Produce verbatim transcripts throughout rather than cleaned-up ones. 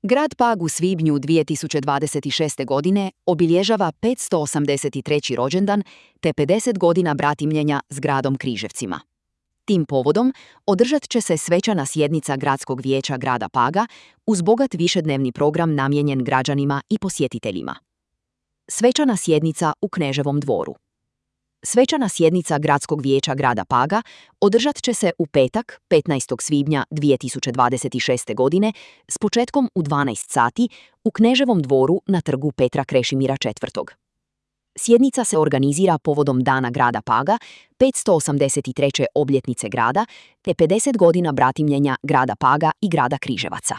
Grad Pag u svibnju dvije tisuće dvadeset šeste. godine obilježava petsto osamdeset treći rođendan te pedeset godina bratimljenja s gradom Križevcima. Tim povodom održat će se svečana sjednica Gradskog vijeća grada Paga uz bogat višednevni program namijenjen građanima i posjetiteljima. Svečana sjednica u Kneževom dvoru. Svečana sjednica Gradskog vijeća grada Paga održat će se u petak, petnaestog svibnja dvije tisuće dvadeset šeste. godine s početkom u dvanaest sati u Kneževom dvoru na trgu Petra Krešimira četvrtog. Sjednica se organizira povodom Dana grada Paga, petsto osamdeset treće obljetnice grada te pedeset godina bratimljenja grada Paga i grada Križevaca.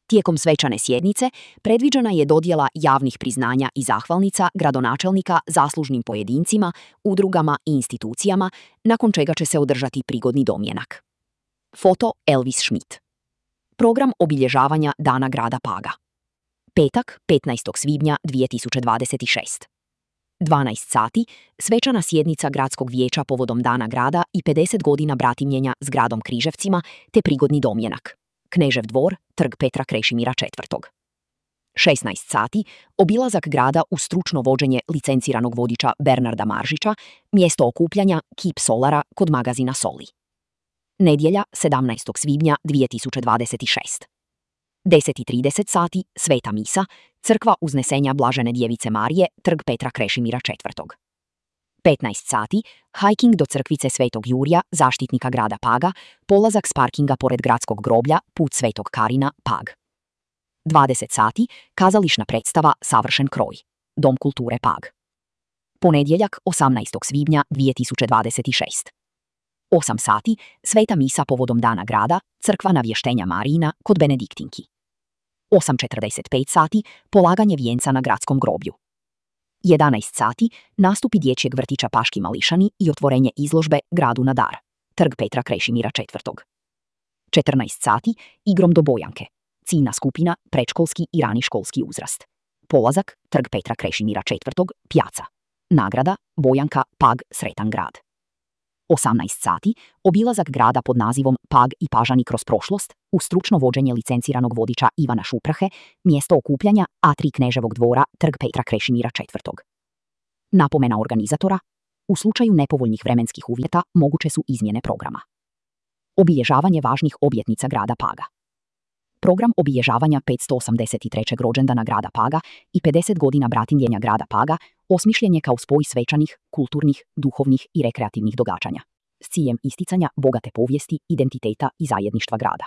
Tijekom svečane sjednice predviđena je dodjela javnih priznanja i zahvalnica gradonačelnika zaslužnim pojedincima, udrugama i institucijama, nakon čega će se održati prigodni domjenak. Foto Elvis Schmidt. Program obilježavanja Dana grada Paga. Petak, petnaestog svibnja dvije tisuće dvadeset šeste. dvanaest sati, svečana sjednica Gradskog vijeća povodom Dana grada i pedeset godina bratimljenja s gradom Križevcima te prigodni domjenak. Knežev dvor, trg Petra Krešimira četvrtog. šesnaest sati, obilazak grada uz stručno vođenje licenciranog vodiča Bernarda Maržića, mjesto okupljanja Kip Solara kod magazina Soli. Nedjelja, sedamnaestog svibnja dvije tisuće dvadeset šeste. deset i trideset sati, sveta misa, crkva Uznesenja Blažene djevice Marije, trg Petra Krešimira četvrtog. petnaest sati, hiking do crkvice Svetog Jurija, zaštitnika grada Paga, polazak s parkinga pored gradskog groblja, put Svetog Karina, Pag. dvadeset sati, kazališna predstava Savršen kroj, Dom kulture Pag. Ponedjeljak, osamnaestog svibnja dvije tisuće dvadeset šeste. osam sati, sveta misa povodom Dana grada, crkva Navještenja Marijina kod Benediktinki. osam četrdeset pet sati, polaganje vijenca na gradskom groblju. jedanaest sati, nastupi dječjeg vrtića Paški mališani i otvorenje izložbe Gradu na dar, trg Petra Krešimira četvrtog. četrnaest sati, igrom do Bojanke, ciljna skupina, predškolski i rani školski uzrast. Polazak, trg Petra Krešimira četvrtog, Pjaca. Nagrada, Bojanka, Pag, sretan grad. osamnaest sati, obilazak grada pod nazivom Pag i Pažani kroz prošlost, uz stručno vođenje licenciranog vodiča Ivana Šuprahe, mjesto okupljanja A tri Kneževog dvora, trg Petra Krešimira četvrtog. Napomena organizatora: u slučaju nepovoljnih vremenskih uvjeta moguće su izmjene programa. Obilježavanje važnih obljetnica grada Paga. Program obilježavanja petsto osamdeset trećeg rođendana grada Paga i pedeset godina bratimljenja grada Paga osmišljen je kao spoj svečanih, kulturnih, duhovnih i rekreativnih događanja s ciljem isticanja bogate povijesti, identiteta i zajedništva grada.